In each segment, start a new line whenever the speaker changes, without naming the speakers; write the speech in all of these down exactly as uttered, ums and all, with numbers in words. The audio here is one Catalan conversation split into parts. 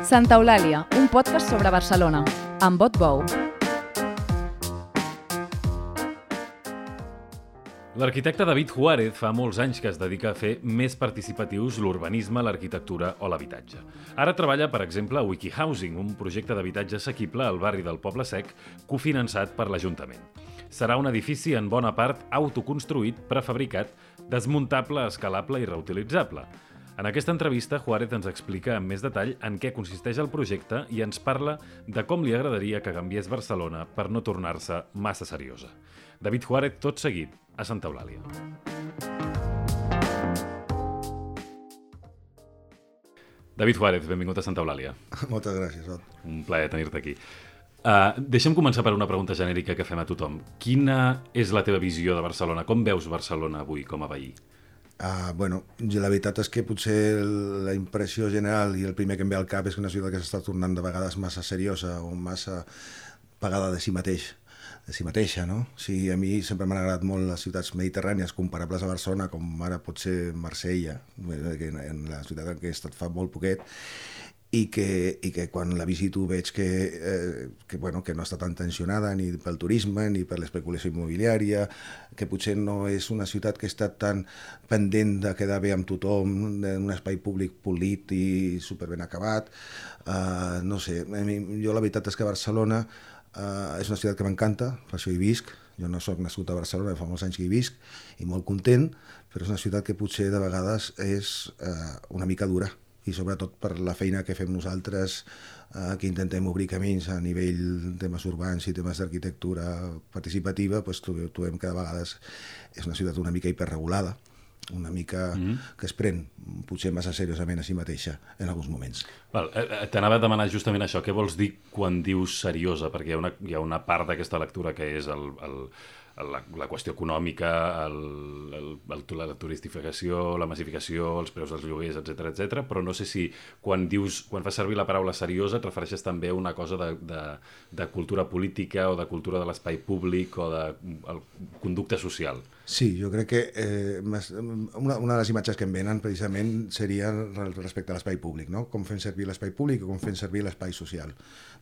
Santa Eulàlia, un podcast sobre Barcelona, amb Bot Bou.
L'arquitecte David Juárez fa molts anys que es dedica a fer més participatius l'urbanisme, l'arquitectura o l'habitatge. Ara treballa, per exemple, a WikiHousing, un projecte d'habitatge assequible al barri del Poble Sec, cofinançat per l'Ajuntament. Serà un edifici en bona part autoconstruït, prefabricat, desmuntable, escalable i reutilitzable. En aquesta entrevista, Juárez ens explica amb més detall en què consisteix el projecte i ens parla de com li agradaria que canviés Barcelona per no tornar-se massa seriosa. David Juárez, tot seguit, a Santa Eulàlia. David Juárez, benvingut a Santa Eulàlia.
Moltes gràcies, Ot.
Un plaer tenir-te aquí. Uh, deixa'm començar per una pregunta genèrica que fem a tothom. Quina és la teva visió de Barcelona? Com veus Barcelona avui com a veí?
Uh, bueno, la veritat és que potser la impressió general i el primer que em ve al cap és que una ciutat que s'està tornant de vegades massa seriosa o massa pagada de si mateix, de si mateixa, no? O sigui, a mi sempre m'han agradat molt les ciutats mediterrànies comparables a Barcelona, com ara pot ser Marsella, en la ciutat en què he estat fa molt poquet, i que, i que quan la visito veig que, eh, que, bueno, que no està tan tensionada ni pel turisme ni per l'especulació immobiliària, que potser no és una ciutat que està tan pendent de quedar bé amb tothom, d'un espai públic polit i superben acabat. Uh, no sé, a mi, jo la veritat és que Barcelona uh, és una ciutat que m'encanta, per això hi visc. Jo no soc nascut a Barcelona, fa molts anys que hi visc i molt content, però és una ciutat que potser de vegades és uh, una mica dura, i sobretot per la feina que fem nosaltres, eh, que intentem obrir camins a nivell temes urbans i temes d'arquitectura participativa, doncs trobem que de vegades és una ciutat una mica hiperregulada, una mica mm-hmm. que es pren potser massa seriosament a si mateixa en alguns moments.
Val, eh, T'anava a demanar justament això. Què vols dir quan dius seriosa? Perquè hi ha una, hi ha una part d'aquesta lectura que és el... el La, la qüestió econòmica, el, el, el, la turistificació, la massificació, els preus dels lloguers, etcètera, etcètera, però no sé si quan dius, quan fas servir la paraula seriosa et refereixes també a una cosa de, de, de cultura política o de cultura de l'espai públic o de el, conducta social.
Sí, jo crec que eh, una, una de les imatges que em venen precisament seria respecte a l'espai públic, no? Com fem servir l'espai públic o com fem servir l'espai social.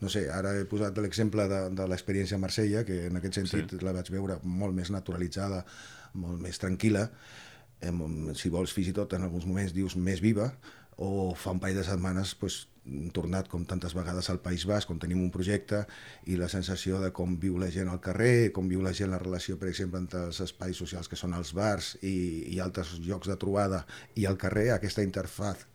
No sé, ara he posat l'exemple de, de l'experiència a Marsella, que en aquest sentit sí. La vaig veure molt més naturalitzada, molt més tranquil·la, eh, si vols fins i tot en alguns moments dius més viva, o fa un parell de setmanes pues, tornat com tantes vegades al País Basc, on tenim un projecte i la sensació de com viu la gent al carrer, com viu la gent la relació, per exemple, entre els espais socials que són els bars i, i altres llocs de trobada i el carrer, aquesta interfaz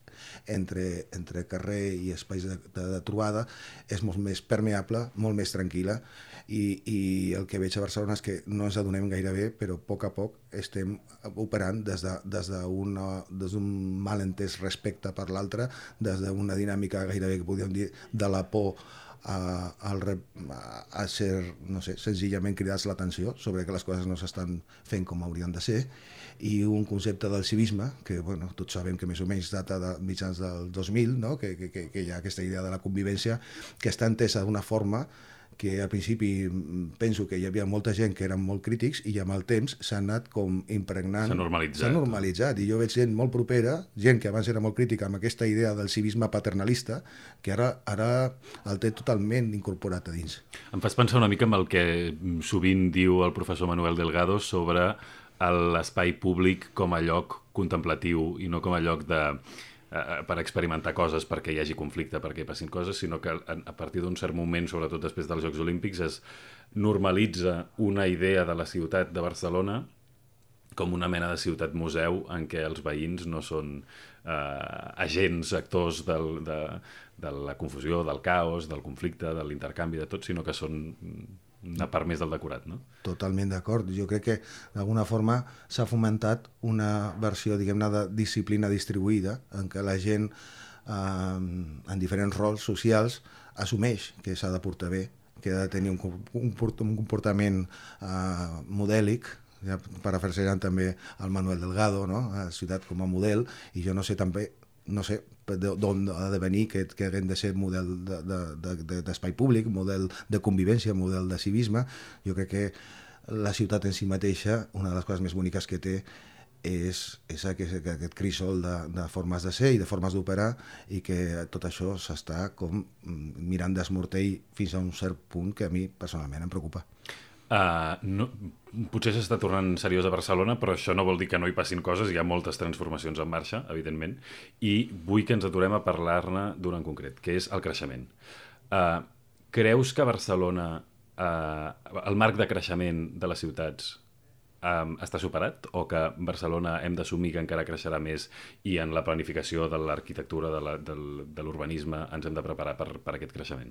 entre, entre carrer i espais de, de, de trobada és molt més permeable, molt més tranquil·la i, i el que veig a Barcelona és que no ens adonem gaire bé, però a poc a poc estem operant des de, des d'un des d'un malentès respecte per l'altre, des d'una dinàmica gairebé que podríem dir de la por a, a, a ser, no sé, senzillament cridats l'atenció sobre que les coses no s'estan fent com haurien de ser, i un concepte del civisme, que bueno, tots sabem que més o menys data de mitjans del dos mil, no? que, que, que hi ha aquesta idea de la convivència, que està entesa d'una forma que al principi penso que hi havia molta gent que eren molt crítics i amb el temps s'ha anat com impregnant.
S'ha normalitzat.
S'ha normalitzat, i jo veig gent molt propera, gent que abans era molt crítica amb aquesta idea del civisme paternalista, que ara, ara el té totalment incorporat a dins.
Em fas pensar una mica en el que sovint diu el professor Manuel Delgado sobre l'espai públic com a lloc contemplatiu i no com a lloc de... per experimentar coses, perquè hi hagi conflicte, perquè hi passin coses, sinó que a partir d'un cert moment, sobretot després dels Jocs Olímpics, es normalitza una idea de la ciutat de Barcelona com una mena de ciutat-museu en què els veïns no són eh, agents, actors del, de, de la confusió, del caos, del conflicte, de l'intercanvi, de tot, sinó que són una part més del decorat, no?
Totalment d'acord. Jo crec que d'alguna forma s'ha fomentat una versió, diguem-ne, de disciplina distribuïda en què la gent eh, en diferents rols socials assumeix que s'ha de portar bé, que ha de tenir un, un, un comportament eh, modèlic, ja parafrasejant també el Manuel Delgado, no? A la ciutat com a model, i jo no sé també no sé d'on ha de venir que, que haguem de ser model d'espai de, de, de, públic, model de convivència, model de civisme. Jo crec que la ciutat en si mateixa, una de les coses més boniques que té és, és aquest, aquest crisol de, de formes de ser i de formes d'operar, i que tot això s'està com mirant d'esmortell fins a un cert punt que a mi personalment em preocupa.
Uh, no, potser s'està tornant seriós a Barcelona, però això no vol dir que no hi passin coses. Hi ha moltes transformacions en marxa, evidentment, i vull que ens aturem a parlar-ne d'una en concret, que és el creixement. Uh, creus que Barcelona, uh, el marc de creixement de les ciutats Um, està superat, o que Barcelona hem d'assumir que encara creixerà més i en la planificació de l'arquitectura, de, la, de l'urbanisme, ens hem de preparar per, per aquest creixement?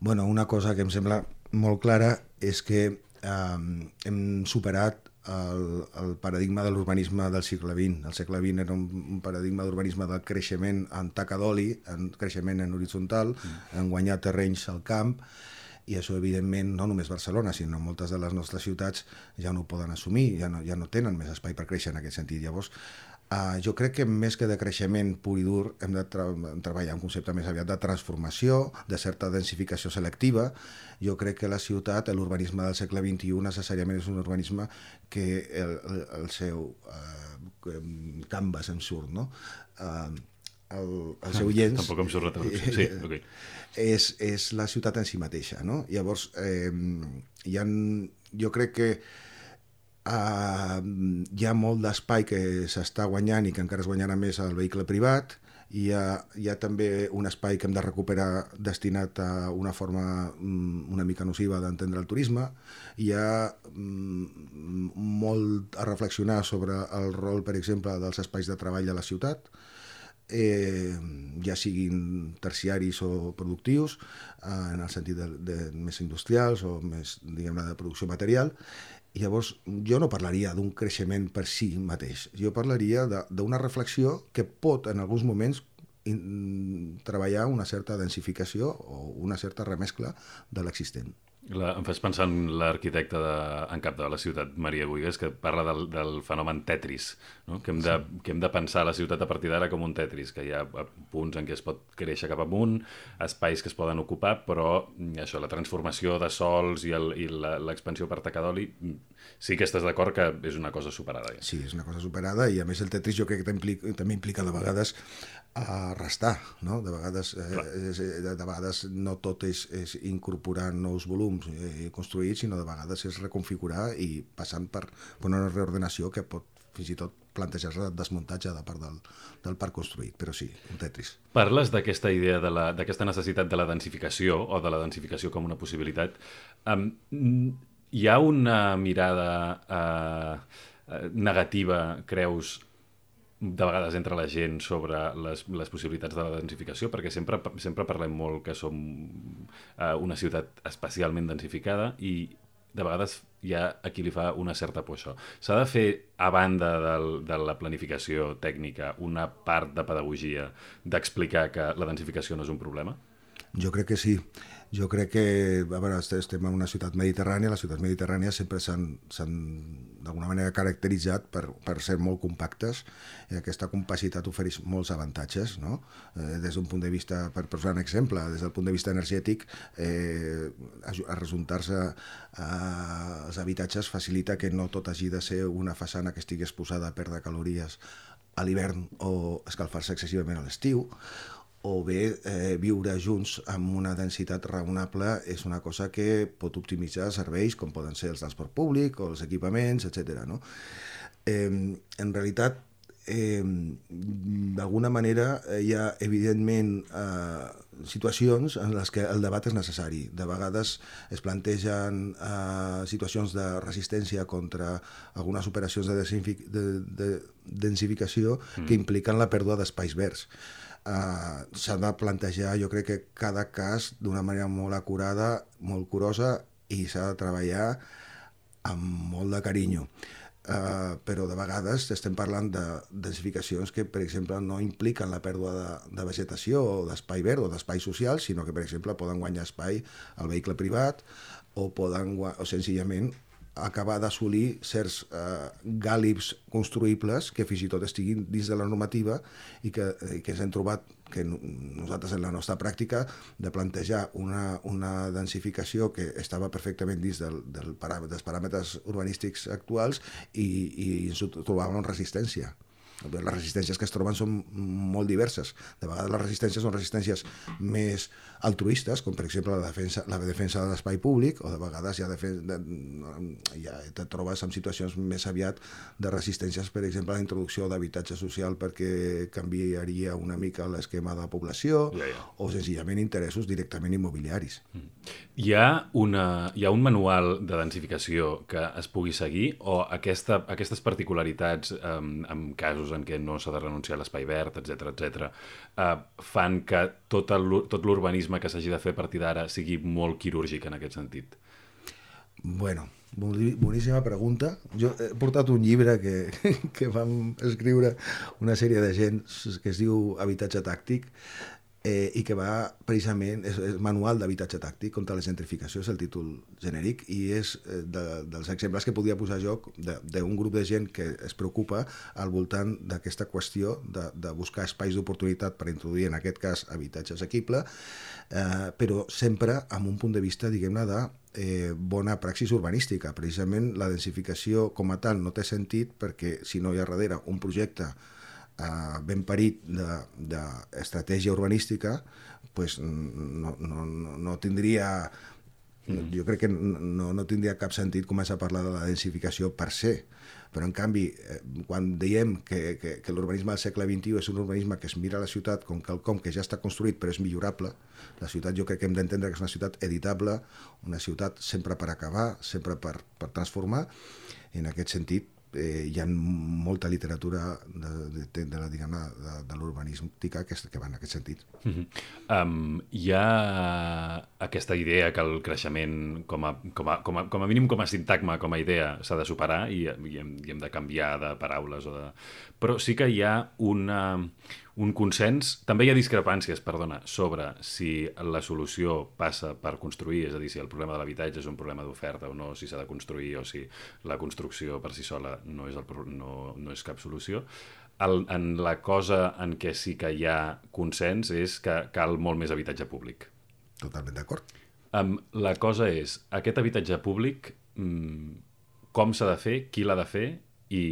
Bueno, una cosa que em sembla molt clara és que um, hem superat el, el paradigma de l'urbanisme del segle vint. El segle vint era un, un paradigma d'urbanisme del creixement en taca d'oli, en creixement en horitzontal, mm. en guanyar terrenys al camp, i això, evidentment, no només Barcelona, sinó moltes de les nostres ciutats ja no ho poden assumir, ja no, ja no tenen més espai per créixer en aquest sentit. Llavors, uh, jo crec que més que de creixement pur i dur hem de tra treballar un concepte més aviat de transformació, de certa densificació selectiva. Jo crec que la ciutat, l'urbanisme del segle vint-i-u, necessàriament és un urbanisme que el, el, el seu uh, canvas en surt, no? Uh, el, el seu llenç...
Tampoc em surt la traducció. Sí, ok.
És, és la ciutat en si mateixa, no? Llavors, eh, hi ha, jo crec que eh, hi ha molt d'espai que s'està guanyant i que encara es guanyarà més al vehicle privat. Hi ha, hi ha també un espai que hem de recuperar destinat a una forma una mica nociva d'entendre el turisme. Hi ha mm, molt a reflexionar sobre el rol, per exemple, dels espais de treball a la ciutat, Eh, ja siguin terciaris o productius, eh, en el sentit de, de més industrials o més, diguem-ne, de producció material. I llavors jo no parlaria d'un creixement per si mateix, jo parlaria d'una reflexió que pot en alguns moments in, treballar una certa densificació o una certa remescla de l'existent.
La, em fas pensar en l'arquitecte en cap de la ciutat, Maria Buigues, que parla del, del fenomen Tetris, no? que, hem de, sí. que hem de pensar la ciutat a partir d'ara com un Tetris, que hi ha punts en què es pot créixer cap amunt, espais que es poden ocupar, però això, la transformació de sols i l'expansió per taca d'oli, sí que estàs d'acord que és una cosa superada. Ja.
Sí, és una cosa superada, i a més el Tetris jo crec que implica, també implica de vegades a restar, no? De vegades, eh, de vegades no tot és, és incorporar nous volums eh, construïts, sinó de vegades és reconfigurar i passant per, per una reordenació que pot fins i tot plantejar-se el desmuntatge de part del, del parc construït, però sí, un Tetris.
Parles d'aquesta idea, d'aquesta necessitat de la densificació, o de la densificació com una possibilitat. Um, hi ha una mirada uh, negativa, creus, de vegades entre la gent sobre les, les possibilitats de la densificació, perquè sempre, sempre parlem molt que som uh, una ciutat especialment densificada i de vegades hi ha a qui li fa una certa por això. S'ha de fer, a banda del, de la planificació tècnica, una part de pedagogia d'explicar que la densificació no és un problema?
Jo crec que sí. Jo crec que, a veure, estem en una ciutat mediterrània, les ciutats mediterrànies sempre s'han d'alguna manera caracteritzat per, per ser molt compactes, i aquesta compacitat ofereix molts avantatges, no? Eh, des d'un punt de vista, per posar un exemple, des del punt de vista energètic, eh, arrejuntar-se als habitatges facilita que no tot hagi de ser una façana que estigui exposada a perdre calories a l'hivern o escalfar-se excessivament a l'estiu, o bé eh, viure junts amb una densitat raonable és una cosa que pot optimitzar serveis com poden ser els transport públic o els equipaments, etcètera, no? Eh, en realitat, eh, d'alguna manera hi ha evidentment eh, situacions en les que el debat és necessari. De vegades es plantegen eh, situacions de resistència contra algunes operacions de, de, de densificació mm. que impliquen la pèrdua d'espais verds. Uh, s'ha de plantejar, jo crec que cada cas d'una manera molt acurada, molt curosa, i s'ha de treballar amb molt de carinyo. Uh, però de vegades estem parlant de densificacions que, per exemple, no impliquen la pèrdua de, de vegetació o d'espai verd o d'espai social, sinó que, per exemple, poden guanyar espai al vehicle privat o poden o senzillament acabar d'assolir certs eh, gàlibs construïbles que fins i tot estiguin dins de la normativa i que, i que ens hem trobat que nosaltres en la nostra pràctica de plantejar una, una densificació que estava perfectament dins del, del parà- dels paràmetres urbanístics actuals i, i ens ho trobàvem amb resistència. Les resistències que es troben són molt diverses. De vegades les resistències són resistències més altruistes, com per exemple la defensa, la defensa de l'espai públic, o de vegades ja, defen de, ja te trobes en situacions més aviat de resistències, per exemple, a la introducció d'habitatge social perquè canviaria una mica l'esquema de la població,
ja, ja.
o senzillament interessos directament immobiliaris.
Mm. Hi ha, una, hi ha un manual de densificació que es pugui seguir o aquesta, aquestes particularitats um, en casos en què no s'ha de renunciar a l'espai verd, etcètera, etcètera, uh, fan que tot l'urbanisme que s'hagi de fer a partir d'ara sigui molt quirúrgic en aquest sentit?
Bueno, boníssima pregunta. Jo he portat un llibre que, que vam escriure una sèrie de gent que es diu Habitatge tàctic, Eh, i que va precisament, és, és manual d'habitatge tàctic contra la gentrificació, és el títol genèric, i és eh, de, dels exemples que podia posar jo d'un grup de gent que es preocupa al voltant d'aquesta qüestió de, de buscar espais d'oportunitat per introduir, en aquest cas, habitatge assequible, eh, però sempre amb un punt de vista, diguem-ne, de eh, bona praxis urbanística. Precisament la densificació com a tal no té sentit perquè si no hi ha darrere un projecte Uh, ben parit d'estratègia urbanística, pues no, no, no tindria, mm. jo crec que no, no tindria cap sentit començar a parlar de la densificació per se. Però, en canvi, eh, quan diem que, que, que l'urbanisme del segle vint-i-u és un urbanisme que es mira a la ciutat com quelcom que ja està construït però és millorable, la ciutat jo crec que hem d'entendre que és una ciutat editable, una ciutat sempre per acabar, sempre per, per transformar. En aquest sentit, Eh, hi ha molta literatura de, de, de, de, de, de, de l'urbanística que, que va en aquest sentit.
Mm-hmm. um, hi ha aquesta idea que el creixement com a, com a, com a, com a mínim com a sintagma, com a idea s'ha de superar i, i, hem, i hem de canviar de paraules o de... però sí que hi ha una, un consens, també hi ha discrepàncies, perdona, sobre si la solució passa per construir, és a dir, si el problema de l'habitatge és un problema d'oferta o no, si s'ha de construir o si la construcció per si sola no és, el, no, no és cap solució. El, en la cosa en què sí que hi ha consens és que cal molt més habitatge públic.
Totalment d'acord.
Um, la cosa és, aquest habitatge públic, um, com s'ha de fer, qui l'ha de fer i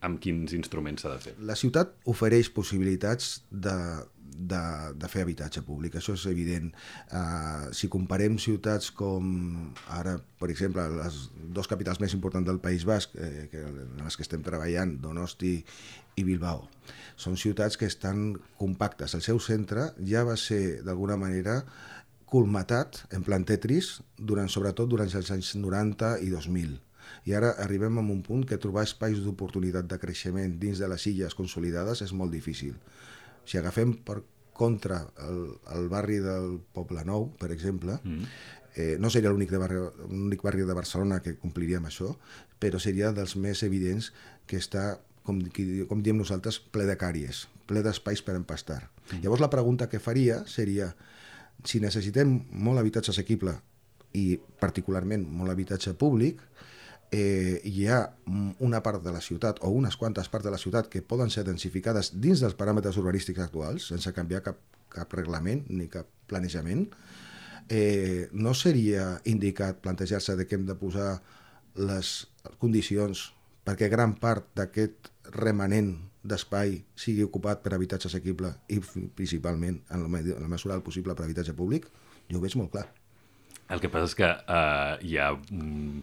amb quins instruments s'ha de fer?
La ciutat ofereix possibilitats de, de, de fer habitatge públic, això és evident. Uh, si comparem ciutats com ara, per exemple, les dos capitals més importants del País Basc, eh, que, en les que estem treballant, Donosti i Bilbao, són ciutats que estan compactes. El seu centre ja va ser, d'alguna manera, colmatat en plan Tetris, durant, sobretot durant els anys noranta i dos mil. I ara arribem a un punt que trobar espais d'oportunitat de creixement dins de les illes consolidades és molt difícil. Si agafem per contra el, el barri del Poble Nou, per exemple, mm. eh, no seria l'únic barri, l'únic barri de Barcelona que compliria amb això, però seria dels més evidents que està, com, com diem nosaltres, ple de càries, ple d'espais per empastar. Mm. Llavors la pregunta que faria seria, si necessitem molt habitatge assequible i particularment molt habitatge públic, Eh, hi ha una part de la ciutat o unes quantes parts de la ciutat que poden ser densificades dins dels paràmetres urbanístics actuals sense canviar cap, cap reglament ni cap planejament. Eh, no seria indicat plantejar-se de que hem de posar les condicions perquè gran part d'aquest remanent d'espai sigui ocupat per habitatge assequible i principalment en la mesura del possible per habitatge públic? Jo ho veig molt clar.
El que passa és que uh, hi ha... Um...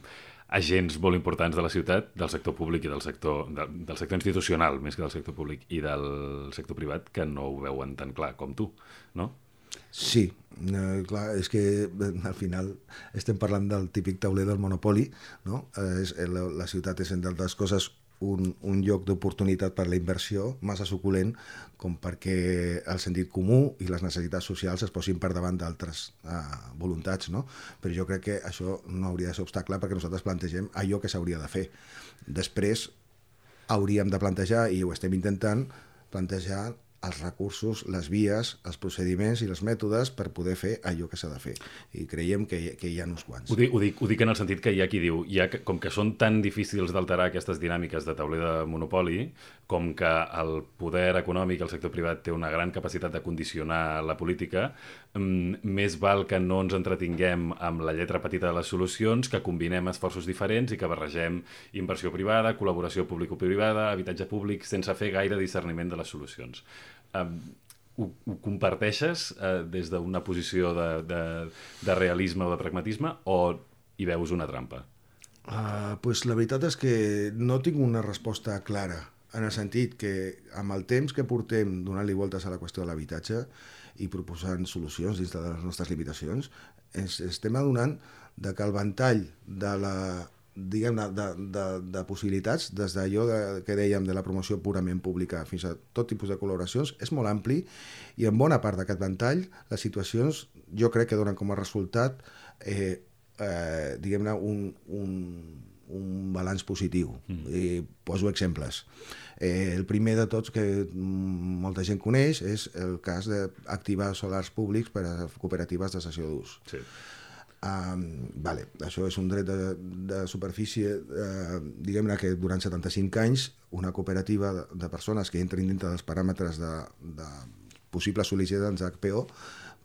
agents molt importants de la ciutat, del sector públic i del sector, de, del sector institucional, més que del sector públic, i del sector privat, que no ho veuen tan clar com tu, no?
Sí, eh, clar, és que al final estem parlant del típic tauler del monopoli, no? Eh, és, la, la ciutat és, entre altres coses, un, un lloc d'oportunitat per la inversió massa suculent com perquè el sentit comú i les necessitats socials es posin per davant d'altres eh, voluntats, no? Però jo crec que això no hauria de ser obstacle perquè nosaltres plantegem allò que s'hauria de fer. Després hauríem de plantejar, i ho estem intentant, plantejar els recursos, les vies, els procediments i els mètodes per poder fer allò que s'ha de fer. I creiem que hi, que hi ha uns quants.
Ho dic, ho, dic, ho dic en el sentit que hi ha qui diu, hi ha, com que són tan difícils d'alterar aquestes dinàmiques de tauler de monopoli, com que el poder econòmic, el sector privat, té una gran capacitat de condicionar la política, més val que no ens entretinguem amb la lletra petita de les solucions, que combinem esforços diferents i que barregem inversió privada, col·laboració público-privada, habitatge públic, sense fer gaire discerniment de les solucions. Um, ho, ho comparteixes uh, des d'una posició de, de, de realisme o de pragmatisme o hi veus una trampa?
Uh, pues la veritat és que no tinc una resposta clara, en el sentit que amb el temps que portem donant-li voltes a la qüestió de l'habitatge i proposant solucions dins de les nostres limitacions, ens estem adonant de que el ventall de la diguem-ne, de, de, de possibilitats, des d'allò de, que dèiem de la promoció purament pública fins a tot tipus de col·laboracions, és molt ampli i en bona part d'aquest ventall les situacions jo crec que donen com a resultat eh, eh, diguem-ne un, un, un balanç positiu. Mm. I poso exemples. Eh, el primer de tots que molta gent coneix és el cas d'activar solars públics per a cooperatives de cessió d'ús. Sí. Um, vale, això és un dret de, de superfície, uh, diguem-ne que durant setanta-cinc anys una cooperativa de, de persones que entrin dintre dels paràmetres de, de possibles sol·licitants d'H P O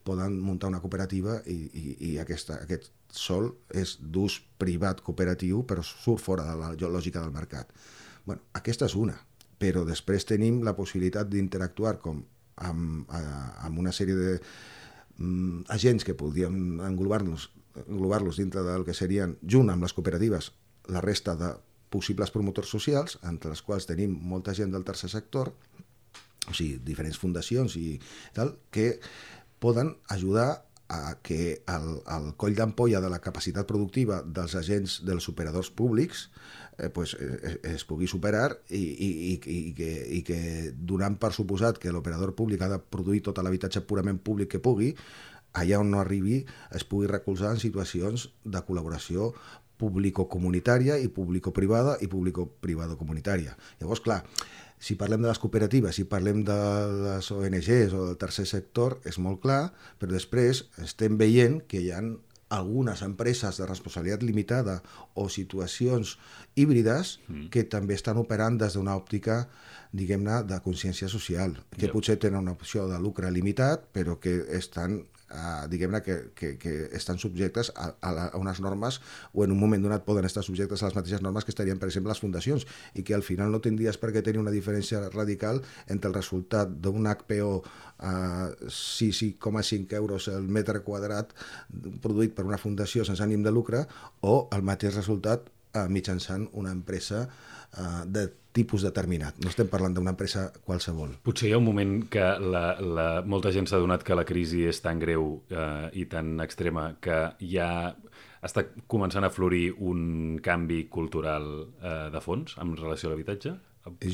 poden muntar una cooperativa i, i, i aquesta, aquest sòl és d'ús privat cooperatiu però surt fora de la lògica del mercat. Bueno, aquesta és una, però després tenim la possibilitat d'interactuar com amb, amb una sèrie de um, agents que podríem englobar-nos englobar-los dintre del que serien, junt amb les cooperatives, la resta de possibles promotors socials, entre les quals tenim molta gent del tercer sector, o sigui, diferents fundacions i tal, que poden ajudar a que el, el coll d'ampolla de la capacitat productiva dels agents dels operadors públics eh, pues, eh, es pugui superar i, i, i, i, que, i que donant per suposat que l'operador públic ha de produir tot l'habitatge purament públic que pugui, allà on no arribi es pugui recolzar en situacions de col·laboració público-comunitària i público-privada i público-privado-comunitària. Llavors, clar, si parlem de les cooperatives, si parlem de les O N Ges o del tercer sector, és molt clar, però després estem veient que hi ha algunes empreses de responsabilitat limitada o situacions híbrides mm. que també estan operant des d'una òptica, diguem-ne, de consciència social, que yep. potser tenen una opció de lucre limitat, però que estan Uh, diguem-ne que, que, que estan subjectes a, a, la, a unes normes o en un moment donat poden estar subjectes a les mateixes normes que estarien, per exemple, les fundacions i que al final no tindries per què tenir una diferència radical entre el resultat d'un H P O a uh, sis coma cinc euros el metre quadrat produït per una fundació sense ànim de lucre o el mateix resultat uh, mitjançant una empresa uh, de tipus determinat. No estem parlant d'una empresa qualsevol.
Potser hi ha un moment que la, la, molta gent s'ha adonat que la crisi és tan greu eh, i tan extrema que ja està començant a florir un canvi cultural eh, de fons en relació a l'habitatge?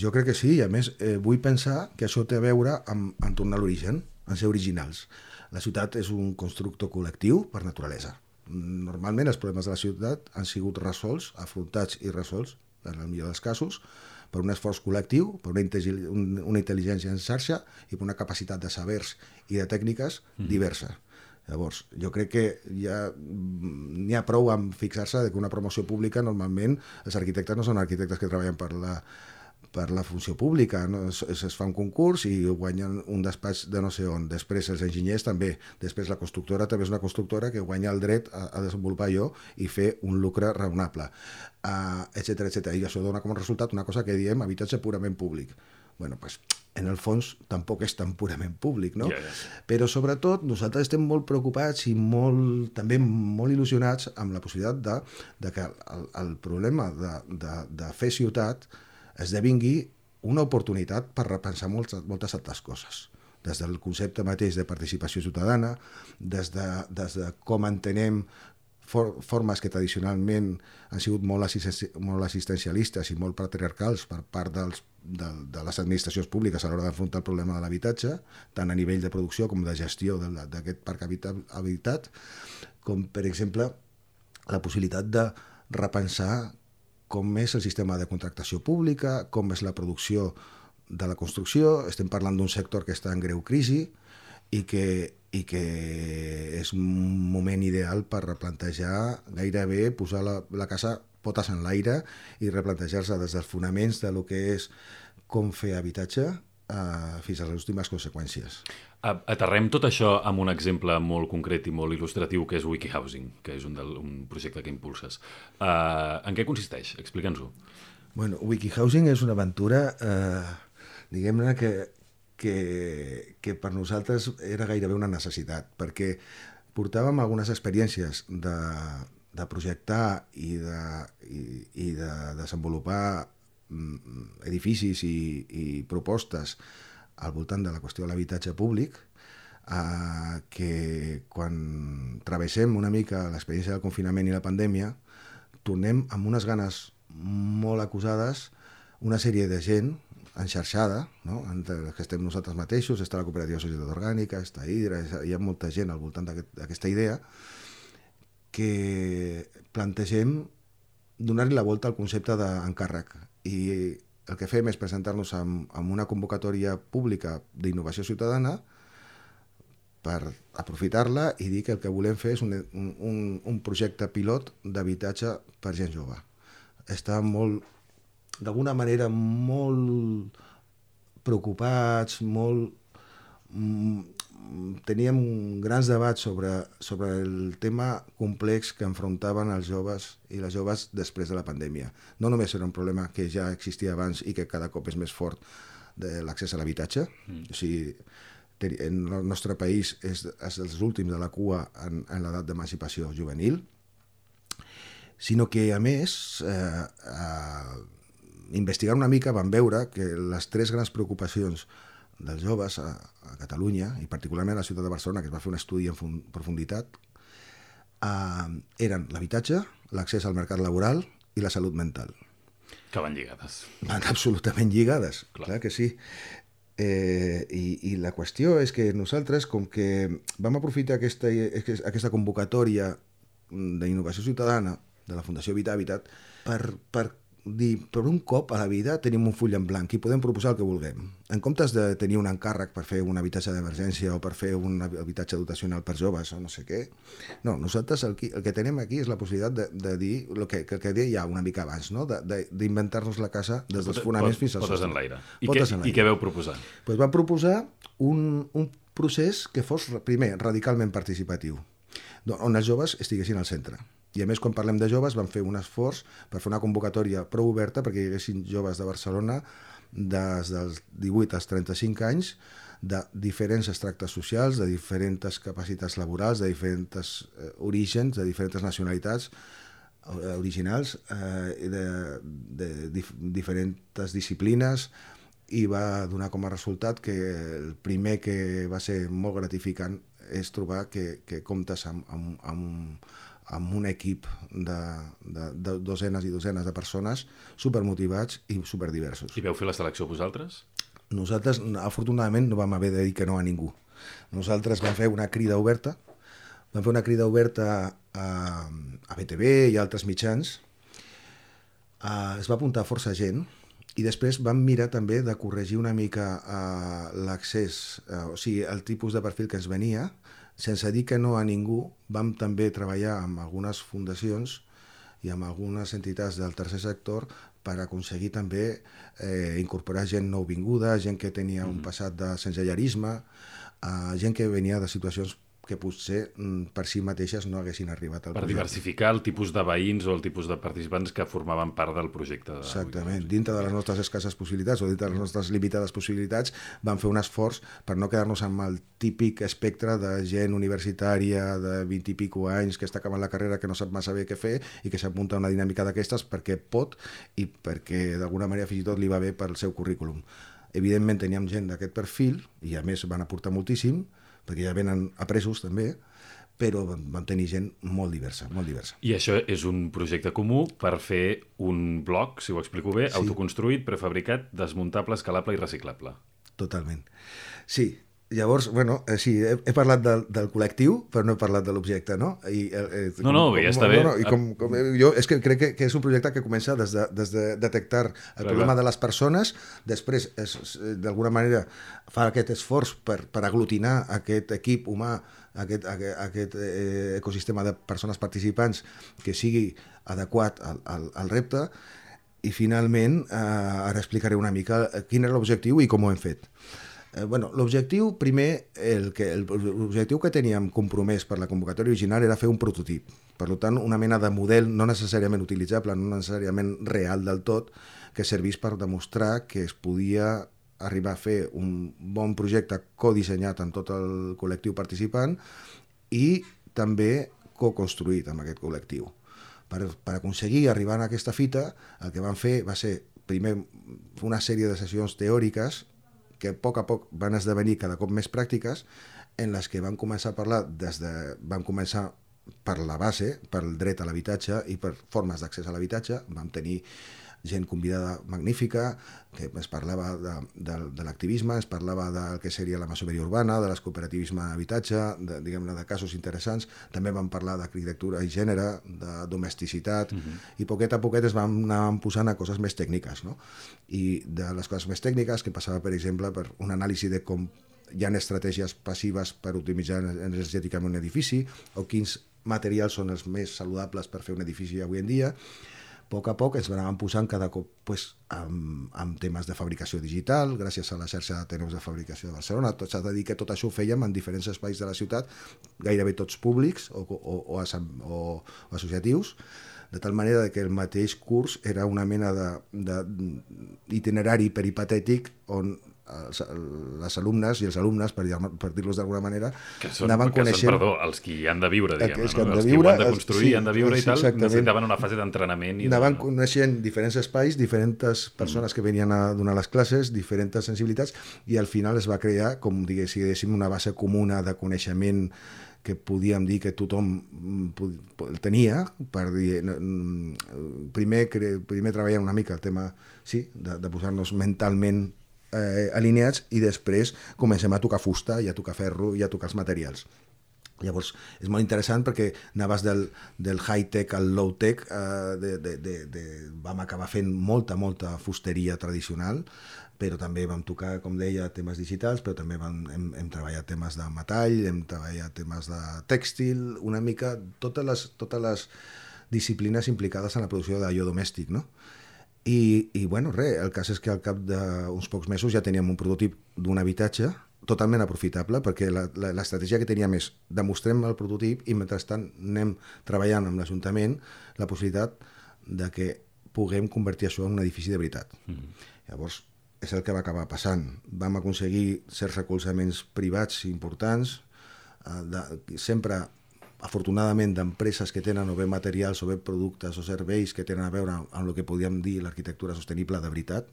Jo crec que sí, i a més eh, vull pensar que això té a veure amb, amb tornar a l'origen, en ser originals. La ciutat és un constructor col·lectiu per naturalesa. Normalment els problemes de la ciutat han sigut resolts, afrontats i resolts, en el millor dels casos, per un esforç col·lectiu, per una, una intel·ligència en xarxa i per una capacitat de sabers i de tècniques mm. diversa. Llavors, jo crec que ja n'hi ha prou amb fixar-se que una promoció pública, normalment, els arquitectes no són arquitectes que treballen per la, per la funció pública, no? es, es fa un concurs i guanyen un despatx de no sé on. Després els enginyers també. Després la constructora també és una constructora que guanya el dret a, a desenvolupar allò i fer un lucre raonable, uh, etcètera, etcètera. I això dona com a resultat una cosa que diem habitatge purament públic. Bueno, pues, en el fons tampoc és tan purament públic, no? Yeah, yeah. Però sobretot nosaltres estem molt preocupats i molt, també molt il·lusionats amb la possibilitat de, de que el, el problema de, de, de fer ciutat esdevingui una oportunitat per repensar moltes, moltes altres coses. Des del concepte mateix de participació ciutadana, des de, des de com entenem for, formes que tradicionalment han sigut molt, assisten, molt assistencialistes i molt patriarcals per part dels, de, de les administracions públiques a l'hora d'afrontar el problema de l'habitatge, tant a nivell de producció com de gestió d'aquest parc habitat, com per exemple la possibilitat de repensar com és el sistema de contractació pública, com és la producció de la construcció, estem parlant d'un sector que està en greu crisi i que, i que és un moment ideal per replantejar gairebé, posar la, la casa potes en l'aire i replantejar-se des dels fonaments de lo que és com fer habitatge eh, fins a les últimes conseqüències.
Aterrem tot això amb un exemple molt concret i molt il·lustratiu que és WikiHousing, que és un, del, un projecte que impulses. Uh, en què consisteix? Explica'ns-ho.
Bueno, WikiHousing és una aventura, eh, diguem-ne, que, que, que per nosaltres era gairebé una necessitat, perquè portàvem algunes experiències de, de projectar i de, i, i de desenvolupar edificis i, i propostes al voltant de la qüestió de l'habitatge públic, eh, que quan travessem una mica l'experiència del confinament i la pandèmia, tornem amb unes ganes molt acusades, una sèrie de gent enxarxada, no? Entre que estem nosaltres mateixos, està la Cooperativa de Societat Orgànica, està Hidra, hi ha molta gent al voltant d'aquesta idea, que plantegem donar-li la volta al concepte d'encàrrec. I el que fem és presentar-nos amb, amb una convocatòria pública d'innovació ciutadana per aprofitar-la i dir que el que volem fer és un, un, un projecte pilot d'habitatge per gent jove. Està molt, d'alguna manera, molt preocupats, molt... teníem grans debats sobre, sobre el tema complex que enfrontaven els joves i les joves després de la pandèmia. No només era un problema que ja existia abans i que cada cop és més fort de l'accés a l'habitatge, mm. o sigui, en el nostre país és, és dels últims de la cua en, en l'edat d'emancipació juvenil, sinó que, a més, eh, eh, investigant una mica vam veure que les tres grans preocupacions dels joves a, a Catalunya, i particularment a la ciutat de Barcelona, que es va fer un estudi en profunditat, eh, eren l'habitatge, l'accés al mercat laboral i la salut mental.
Que van lligades.
Van absolutament lligades, clar, clar que sí. Eh, i, I la qüestió és que nosaltres, com que vam aprofitar aquesta, aquesta convocatòria d'innovació ciutadana de la Fundació Vita Habitat per, per dir, per un cop a la vida tenim un full en blanc i podem proposar el que vulguem. En comptes de tenir un encàrrec per fer un habitatge d'emergència o per fer un habitatge dotacional per joves o no sé què, no, nosaltres el que, el que tenim aquí és la possibilitat de, de dir el que, que, que deia ja una mica abans, no? D'inventar-nos la casa des dels fonaments fins al sostre.
Potes en l'aire. I, què, I què veu proposar?
Pues vam proposar un, un procés que fos, primer, radicalment participatiu, on els joves estiguessin al centre. I a més, quan parlem de joves, vam fer un esforç per fer una convocatòria prou oberta perquè hi haguessin joves de Barcelona des dels divuit als trenta-cinc anys, de diferents extractes socials, de diferents capacitats laborals, de diferents eh, orígens, de diferents nacionalitats eh, originals, eh, de, de dif diferents disciplines, i va donar com a resultat que el primer que va ser molt gratificant és trobar que, que comptes amb, amb, amb, amb un equip de, de, de dosenes i dosenes de persones supermotivats i superdiversos.
I veu fer la selecció vosaltres?
Nosaltres, afortunadament, no vam haver de dir que no a ningú. Nosaltres vam fer una crida oberta, vam fer una crida oberta a, a B T V i a altres mitjans, a, es va apuntar força gent, i després vam mirar també de corregir una mica uh, l'accés, uh, o sigui, el tipus de perfil que ens venia, sense dir que no a ningú. Vam també treballar amb algunes fundacions i amb algunes entitats del tercer sector per aconseguir també eh, incorporar gent nouvinguda, gent que tenia un passat de sensellarisme, uh, gent que venia de situacions que potser per si mateixes no haguessin arribat al
per
projecte.
Per diversificar el tipus de veïns o el tipus de participants que formaven part del projecte. De
Exactament. Dintre de les nostres escasses possibilitats o dintre de les nostres limitades possibilitats vam fer un esforç per no quedar-nos amb el típic espectre de gent universitària de vint i pico anys que està acabant la carrera, que no sap massa bé què fer i que s'apunta a una dinàmica d'aquestes perquè pot i perquè d'alguna manera fins i tot li va bé pel seu currículum. Evidentment teníem gent d'aquest perfil i a més van aportar moltíssim, perquè ja venen apresos també, però vam tenir gent molt diversa, molt diversa.
I això és un projecte comú per fer un bloc, si ho explico bé, sí. Autoconstruït, prefabricat, desmuntable, escalable i reciclable.
Totalment. Sí, Llavors, bueno, eh, sí, he, he parlat del, del col·lectiu, però no he parlat de l'objecte, no? I, eh,
no, no, com, ja està
com,
bé.
No, no, i com, com, jo és que crec que, que és un projecte que comença des de, des de detectar el clar, problema clar. de les persones, després, d'alguna manera, fa aquest esforç per, per aglutinar aquest equip humà, aquest, aquest, aquest eh, ecosistema de persones participants que sigui adequat al, al, al repte, i finalment, eh, ara explicaré una mica quin era l'objectiu i com ho hem fet. Eh, bueno, l'objectiu, primer, el que, el, l'objectiu que teníem compromès per la convocatòria original era fer un prototip. Per tant, una mena de model no necessàriament utilitzable, no necessàriament real del tot, que servís per demostrar que es podia arribar a fer un bon projecte codissenyat amb tot el col·lectiu participant i també co-construït amb aquest col·lectiu. Per, per aconseguir arribar a aquesta fita, el que vam fer va ser, primer, una sèrie de sessions teòriques que a poc a poc van esdevenir cada cop més pràctiques, en les que van començar a parlar des de... van començar per la base, pel dret a l'habitatge i per formes d'accés a l'habitatge. Vam tenir gent convidada magnífica, que es parlava de, de, de l'activisme, es parlava del que seria la masoveria urbana, de l'escooperativisme d'habitatge, de, diguem-ne, de casos interessants. També vam parlar d'arquitectura i gènere, de domesticitat, uh-huh. i poquet a poquet es van anar posant a coses més tècniques, no? I de les coses més tècniques, que passava, per exemple, per un anàlisi de com hi ha estratègies passives per optimitzar energèticament un edifici, o quins materials són els més saludables per fer un edifici avui en dia. A poc a poc ens anaven posant cada cop pues, amb, amb temes de fabricació digital, gràcies a la xarxa d'Ateneus de Fabricació de Barcelona. S'ha de dir que tot això ho fèiem en diferents espais de la ciutat, gairebé tots públics o, o, o, o, o associatius, de tal manera que el mateix curs era una mena d'itinerari peripatètic on els, les alumnes i els alumnes, per, per dir-los d'alguna manera,
que són,
anaven
que
coneixent...
Són, perdó, els qui hi han de viure, diguem-ne,
els,
no?
els
qui ho han de construir, sí, han de viure i tal,
exactament.
Necessitaven una fase d'entrenament. I
anaven
de...
coneixent diferents espais, diferents persones mm. que venien a donar les classes, diferents sensibilitats, i al final es va crear, com diguéssim, una base comuna de coneixement que podíem dir que tothom tenia, per dir, primer, primer treballar una mica el tema, sí, de, de posar-nos mentalment eh, alineats, i després comencem a tocar fusta i a tocar ferro i a tocar els materials. Llavors, és molt interessant perquè anaves del, del high-tech al low-tech, eh, de, de, de, de, vam acabar fent molta, molta fusteria tradicional, però també vam tocar, com deia, temes digitals, però també vam, hem, hem treballat temes de metall, hem treballat temes de tèxtil, una mica totes les, totes les disciplines implicades en la producció d'allò domèstic, no? I, i bueno, res, el cas és que al cap d'uns pocs mesos ja teníem un prototip d'un habitatge totalment aprofitable, perquè l'estratègia que teníem és demostrem el prototip i mentrestant anem treballant amb l'Ajuntament la possibilitat de que puguem convertir això en un edifici de veritat. Mm-hmm. Llavors, és el que va acabar passant. Vam aconseguir certs recolzaments privats importants, eh, de, sempre afortunadament d'empreses que tenen o bé materials o bé productes o serveis que tenen a veure amb el que podíem dir l'arquitectura sostenible de veritat.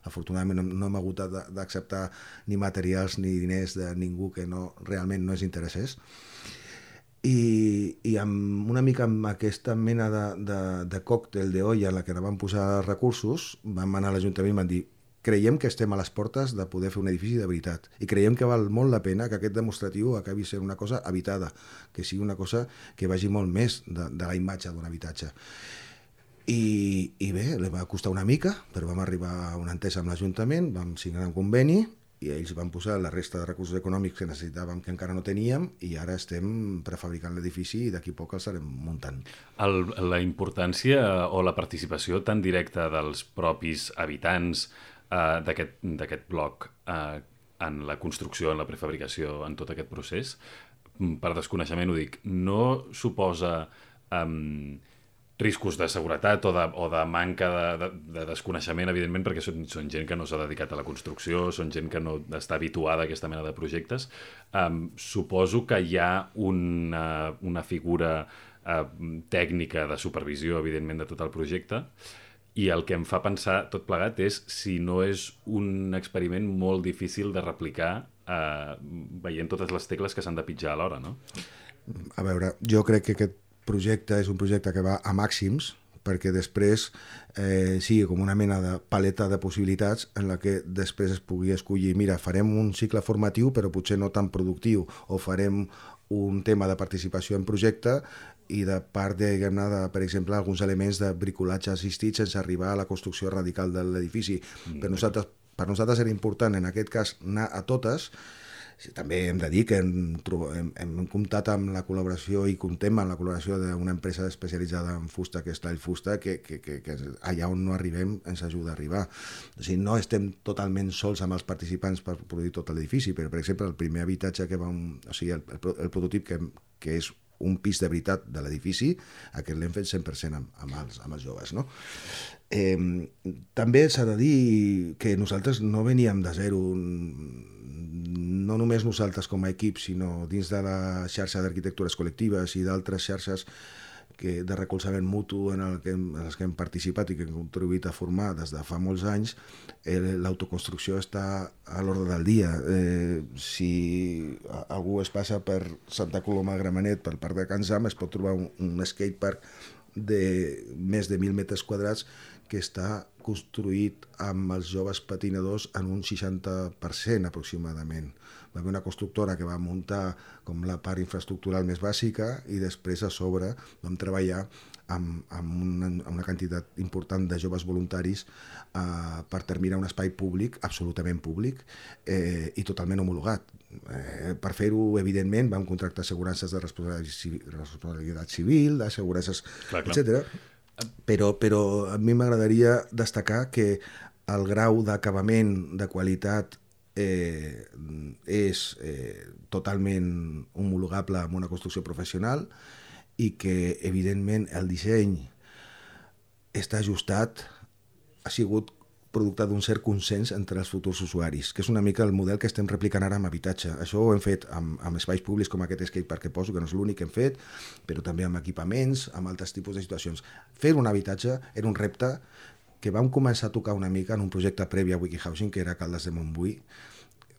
Afortunadament no, no hem hagut d'acceptar ni materials ni diners de ningú que no, realment no ens interessés. I, i amb una mica amb aquesta mena de, de, de còctel d'olla en la que vam posar recursos, vam anar a l'Ajuntament i vam dir creiem que estem a les portes de poder fer un edifici de veritat i creiem que val molt la pena que aquest demostratiu acabi sent una cosa habitada, que sigui una cosa que vagi molt més de, de la imatge d'un habitatge. I, i bé, li va costar una mica, però vam arribar a una entesa amb l'Ajuntament, vam signar un conveni i ells van posar la resta de recursos econòmics que necessitàvem, que encara no teníem, i ara estem prefabricant l'edifici i d'aquí a poc el estarem muntant.
El, la importància o la participació tan directa dels propis habitants Uh, d'aquest bloc uh, en la construcció, en la prefabricació, en tot aquest procés, per desconeixement ho dic, no suposa um, riscos de seguretat o de, o de manca de, de, de desconeixement, evidentment, perquè són, són gent que no s'ha dedicat a la construcció, són gent que no està habituada a aquesta mena de projectes. Um, suposo que hi ha una, una figura uh, tècnica de supervisió, evidentment, de tot el projecte. I el que em fa pensar tot plegat és si no és un experiment molt difícil de replicar eh, veient totes les tecles que s'han de pitjar alhora, no?
A veure, jo crec que aquest projecte és un projecte que va a màxims, perquè després eh, sigui com una mena de paleta de possibilitats en la que després es pugui escollir, mira, farem un cicle formatiu però potser no tan productiu, o farem un tema de participació en projecte i de part, diguem-ne, de, per exemple, alguns elements de bricolatge assistit sense arribar a la construcció radical de l'edifici. Mm. Per nosaltres, per nosaltres era important, en aquest cas, anar a totes. També hem de dir que hem, hem, hem comptat amb la col·laboració i comptem amb la col·laboració d'una empresa especialitzada en fusta, que és Tall Fusta, que, que, que, que allà on no arribem ens ajuda a arribar. O sigui, no estem totalment sols amb els participants per produir tot l'edifici, però, per exemple, el primer habitatge que vam... O sigui, el, el, el prototip que, que és un pis de veritat de l'edifici, aquest l'hem fet cent per cent amb, amb, els, amb els joves, no? Eh, també s'ha de dir que nosaltres no veníem de zero, no només nosaltres com a equip, sinó dins de la xarxa d'arquitectures col·lectives i d'altres xarxes que, de recolzament mutu en, el que hem, en els que hem participat i que hem contribuït a formar des de fa molts anys, eh, l'autoconstrucció està a l'ordre del dia. Eh, si algú es passa per Santa Coloma de Gramenet, pel Parc de Can Zam, es pot trobar un, un skatepark de més de mil metres quadrats que està construït amb els joves patinadors en un seixanta per cent aproximadament. Va haver una constructora que va muntar com la part infraestructural més bàsica i després a sobre vam treballar amb, amb, una, amb una quantitat important de joves voluntaris eh, per terminar un espai públic, absolutament públic, eh, i totalment homologat. Eh, per fer-ho, evidentment, vam contractar assegurances de responsabilitat civil, d'assegurances, etcètera. Però, però a mi m'agradaria destacar que el grau d'acabament, de qualitat, eh, és eh, totalment homologable amb una construcció professional i que, evidentment, el disseny està ajustat, ha sigut producte d'un cert consens entre els futurs usuaris, que és una mica el model que estem replicant ara amb habitatge. Això ho hem fet amb, amb espais públics com aquest skatepark que poso, que no és l'únic que hem fet, però també amb equipaments, amb altres tipus de situacions. Fer un habitatge era un repte que vam començar a tocar una mica en un projecte previ a Wikihousing, que era Caldes de Montbui,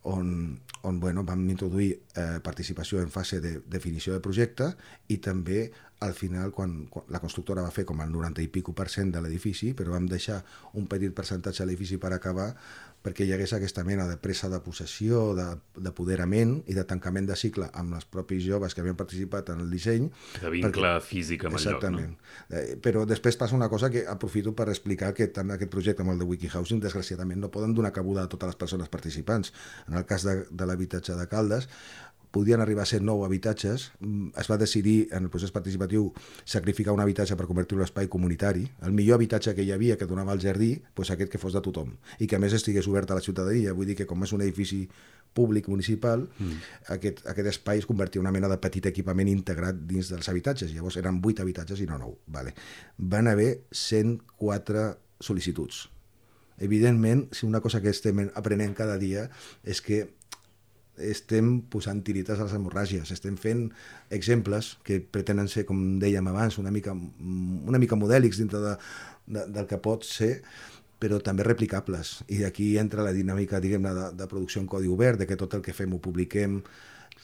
on, on bueno, vam introduir eh, participació en fase de definició de projecte i també al final, quan, quan la constructora va fer com el noranta i pico per cent de l'edifici, però vam deixar un petit percentatge de l'edifici per acabar perquè hi hagués aquesta mena de presa de possessió, d'apoderament i de tancament de cicle amb els propis joves que havien participat en el disseny.
De vincle perquè... físic amb el
Exactament.
lloc, no?
Eh, però després passa una cosa que aprofito per explicar que tant aquest projecte com el de Wikihousing, desgraciadament, no poden donar cabuda a totes les persones participants. En el cas de, de l'habitatge de Caldes, podien arribar a ser nou habitatges. Es va decidir en el procés participatiu sacrificar un habitatge per convertir-lo en espai comunitari. El millor habitatge que hi havia, que donava al jardí, doncs aquest que fos de tothom i que a més estigués obert a la ciutadania. Vull dir que com és un edifici públic municipal, mm. aquest, aquest espai es convertia en una mena de petit equipament integrat dins dels habitatges. Llavors eren vuit habitatges i no nou. Vale. Van haver cent quatre sol·licituds. Evidentment, si una cosa que estem aprenent cada dia és que estem posant tirites a les hemorràgies, estem fent exemples que pretenen ser, com dèiem abans, una mica, una mica modèlics dintre de, de, del que pot ser, però també replicables. I aquí entra la dinàmica, diguem-ne, de, de producció en codi obert, de que tot el que fem ho publiquem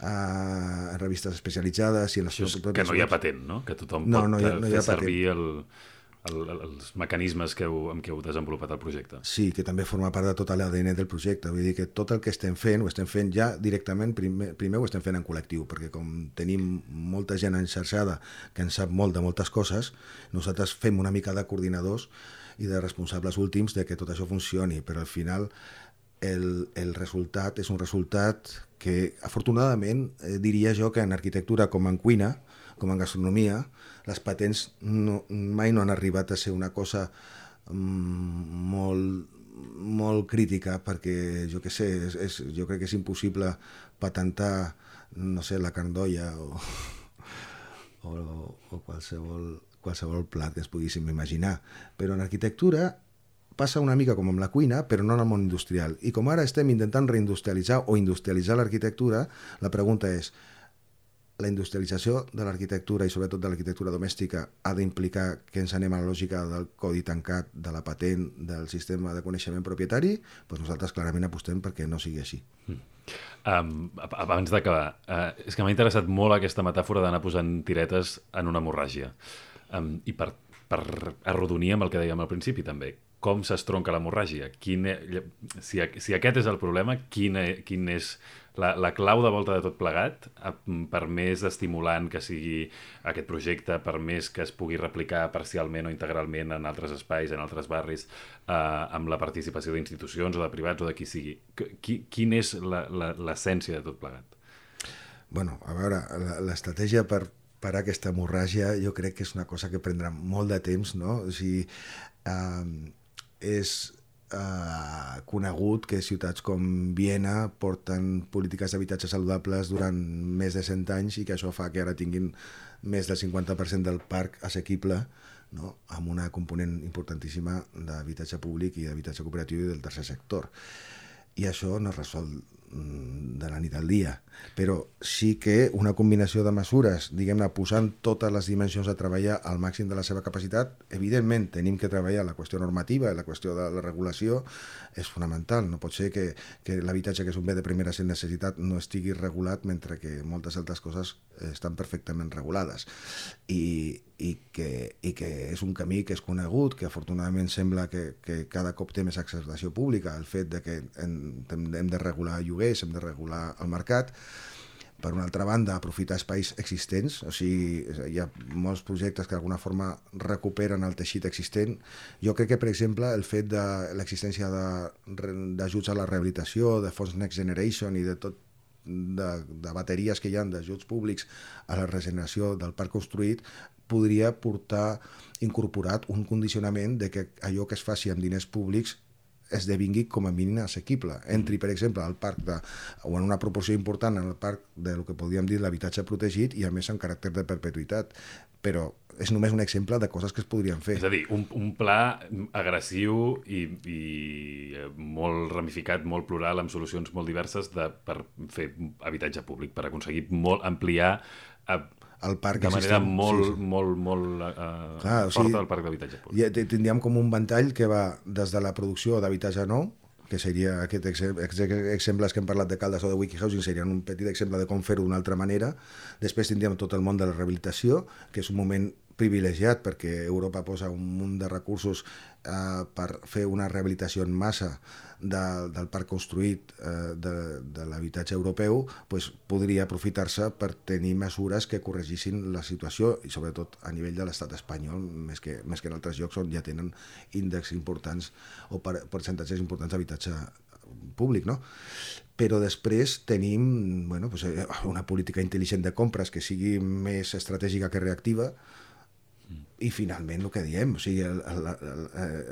a revistes especialitzades. I en les
Això és que no hi ha patent, no? Que tothom
no,
pot
no hi ha, no hi ha
fer servir
patent.
el... El, els mecanismes que heu, amb què heu desenvolupat el projecte.
Sí, que també forma part de tot l'A D N del projecte. Vull dir que tot el que estem fent, ho estem fent ja directament, primer, primer ho estem fent en col·lectiu, perquè com tenim molta gent enxarxada que en sap molt de moltes coses, nosaltres fem una mica de coordinadors i de responsables últims de que tot això funcioni, però al final el, el resultat és un resultat que, afortunadament, eh, diria jo que en arquitectura com en cuina, com en gastronomia, les patents no, mai no han arribat a ser una cosa mm, molt, molt crítica, perquè jo què sé, és, és, jo crec que és impossible patentar, no sé, la carn d'olla o, o, o qualsevol, qualsevol plat que es poguéssim imaginar. Però en arquitectura passa una mica com amb la cuina, però no en el món industrial. I com ara estem intentant reindustrialitzar o industrialitzar l'arquitectura, la pregunta és: la industrialització de l'arquitectura i sobretot de l'arquitectura domèstica ha d'implicar que ens anem a la lògica del codi tancat, de la patent, del sistema de coneixement propietari? Doncs nosaltres clarament apostem perquè no sigui així.
Mm. Um, abans d'acabar, uh, és que m'ha interessat molt aquesta metàfora d'anar posant tiretes en una hemorràgia. Um, I per, per arrodonir amb el que dèiem al principi també, com s'estronca l'hemorràgia? Quin, si, si aquest és el problema, quin, quin és la, la clau de volta de tot plegat, per més estimulant que sigui aquest projecte, per més que es pugui replicar parcialment o integralment en altres espais, en altres barris, eh, amb la participació d'institucions o de privats o de qui sigui. Qui, quin és l'essència de tot plegat?
Bueno, a veure, l'estratègia per parar aquesta hemorràgia jo crec que és una cosa que prendrà molt de temps, no? O sigui, eh, és eh, conegut que ciutats com Viena porten polítiques d'habitatge saludables durant més de cent anys i que això fa que ara tinguin més del cinquanta per cent del parc assequible, no? Amb una component importantíssima d'habitatge públic i d'habitatge cooperatiu i del tercer sector. I això no es resol de la nit al dia, però sí que una combinació de mesures, diguem-ne, posant totes les dimensions a treballar al màxim de la seva capacitat, evidentment tenim que treballar la qüestió normativa i la qüestió de la regulació és fonamental. No pot ser que, que l'habitatge, que és un bé de primera necessitat, no estigui regulat mentre que moltes altres coses estan perfectament regulades. I, i, que, i que és un camí que és conegut, que afortunadament sembla que, que cada cop té més acceptació pública, el fet de que hem, hem de regular lloguers, hem de regular el mercat. Per una altra banda, aprofitar espais existents, o sigui, hi ha molts projectes que d'alguna forma recuperen el teixit existent. Jo crec que, per exemple, el fet de l'existència d'ajuts a la rehabilitació, de fons Next Generation i de tot de, de bateries que hi ha d'ajuts públics a la regeneració del parc construït podria portar incorporat un condicionament de que allò que es faci amb diners públics esdevingui com a mínim assequible. Entri, per exemple, al parc de, o en una proporció important en el parc del que podríem dir l'habitatge protegit i a més amb caràcter de perpetuïtat. Però és només un exemple de coses que es podrien fer.
És a dir, un, un pla agressiu i, i molt ramificat, molt plural, amb solucions molt diverses de, per fer habitatge públic, per aconseguir molt ampliar a,
el parc
de manera
existent,
molt,
sí, sí.
molt, molt uh,
Clar, o
forta
sigui,
del parc d'habitatge públic.
Ja tindríem com un ventall que va des de la producció d'habitatge nou, que seria aquest ex exemples que hem parlat de Caldes o de Wikihousing, serien un petit exemple de com fer-ho d'una altra manera. Després tindríem tot el món de la rehabilitació, que és un moment privilegiat perquè Europa posa un munt de recursos eh, per fer una rehabilitació en massa de, del parc construït eh, de, de l'habitatge europeu, pues, podria aprofitar-se per tenir mesures que corregissin la situació i sobretot a nivell de l'estat espanyol, més que, més que en altres llocs on ja tenen índexs importants o per, percentatges importants d'habitatge públic, no? Però després tenim bueno, pues, una política intel·ligent de compres que sigui més estratègica que reactiva. I finalment el que diem, o sigui, el, el, el,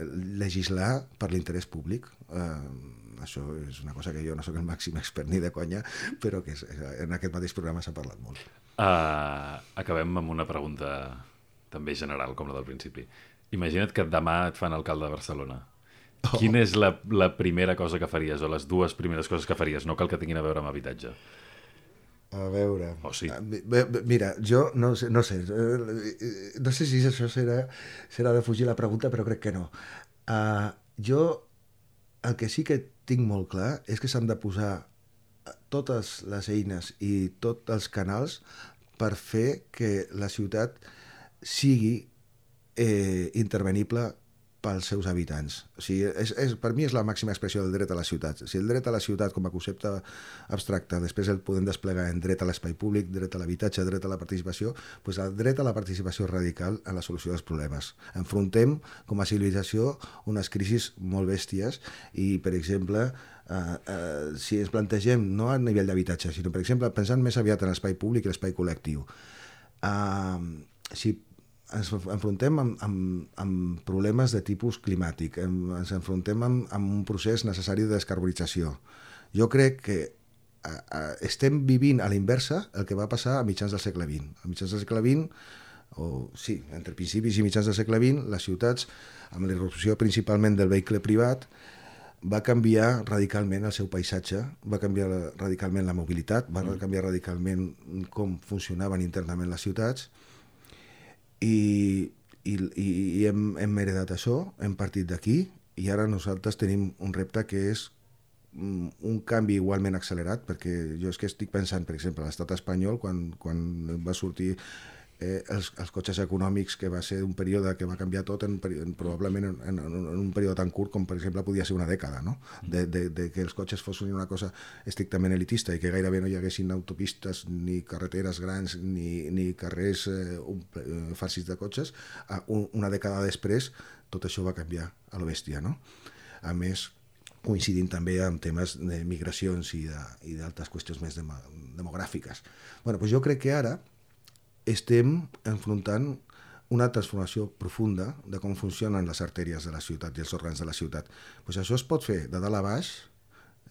el legislar per l'interès públic. Eh, això és una cosa que jo no sóc el màxim expert ni de conya, però que és, en aquest mateix programa s'ha parlat molt.
Uh, acabem amb una pregunta també general, com la del principi. Imagina't que demà et fan alcalde de Barcelona. Oh. Quina és la, la primera cosa que faries, o les dues primeres coses que faries? No cal que tinguin a veure amb habitatge.
A veure...
Oh, sí.
Mira, jo no sé, no sé, no sé si això serà, serà de fugir la pregunta, però crec que no. Uh, jo el que sí que tinc molt clar és que s'han de posar totes les eines i tots els canals per fer que la ciutat sigui eh, intervenible pels seus habitants. O sigui, és, és, per mi és la màxima expressió del dret a la ciutat. Si el dret a la ciutat com a concepte abstracte després el podem desplegar en dret a l'espai públic, dret a l'habitatge, dret a la participació, doncs el dret a la participació radical en la solució dels problemes. Enfrontem com a civilització unes crisis molt bèsties i, per exemple, eh, eh, si ens plantegem no a nivell d'habitatge, sinó, per exemple, pensant més aviat en l'espai públic i l'espai col·lectiu. Eh, si ens enfrontem amb, amb, amb problemes de tipus climàtic, ens enfrontem amb, amb un procés necessari de descarbonització. Jo crec que a, a, estem vivint a la inversa el que va passar a mitjans del segle vint. A mitjans del segle vint, o sí, entre principis i mitjans del segle vint, les ciutats, amb la irrupció principalment del vehicle privat, va canviar radicalment el seu paisatge, va canviar radicalment la mobilitat, va canviar radicalment com funcionaven internament les ciutats, i, i, i hem, hem heredat això, hem partit d'aquí i ara nosaltres tenim un repte que és un canvi igualment accelerat, perquè jo és que estic pensant, per exemple, a l'estat espanyol, quan, quan va sortir eh, els, els cotxes econòmics, que va ser un període que va canviar tot en, en probablement en, en, en un període tan curt com per exemple podia ser una dècada, no? de, de, de que els cotxes fossin una cosa estrictament elitista i que gairebé no hi haguessin autopistes ni carreteres grans ni, ni carrers eh, un, eh, farcits de cotxes. A un, una dècada després tot això va canviar a lo bèstia, no? A més, coincidint també amb temes de migracions i d'altres qüestions més dem demogràfiques. Bueno, doncs jo crec que ara estem enfrontant una transformació profunda de com funcionen les artèries de la ciutat i els òrgans de la ciutat. Pues això es pot fer de dalt a baix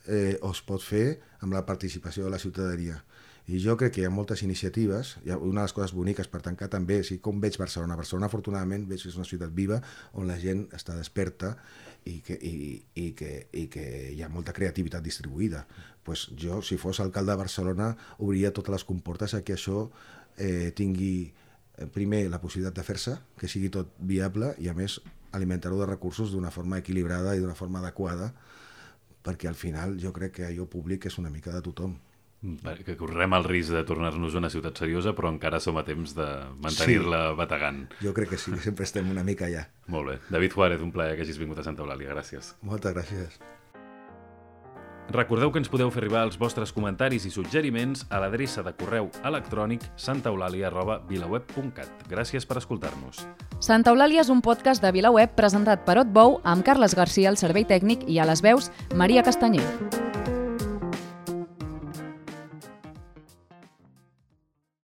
eh, o es pot fer amb la participació de la ciutadania. I jo crec que hi ha moltes iniciatives, i una de les coses boniques per tancar també, si com veig Barcelona, Barcelona afortunadament veig que és una ciutat viva on la gent està desperta i que, i, i que, i que hi ha molta creativitat distribuïda. Pues jo, si fos alcalde de Barcelona, obria totes les comportes a que això eh, tingui eh, primer la possibilitat de fer-se, que sigui tot viable i a més alimentar-ho de recursos d'una forma equilibrada i d'una forma adequada, perquè al final jo crec que allò públic és una mica de tothom.
Que correm el risc de tornar-nos una ciutat seriosa, però encara som a temps de mantenir-la sí, bategant.
Jo crec que sí, que sempre estem una mica allà.
Molt bé. David Juárez, un plaer que hagis vingut a Santa Eulàlia. Gràcies.
Moltes gràcies.
Recordeu que ens podeu fer arribar els vostres comentaris i suggeriments a l'adreça de correu electrònic santaeulàlia arroba vilaweb punt cat. Gràcies per escoltar-nos.
Santa Eulàlia és un podcast de VilaWeb presentat per Otbou amb Carles Garcia al servei tècnic i a les veus Maria Castanyer.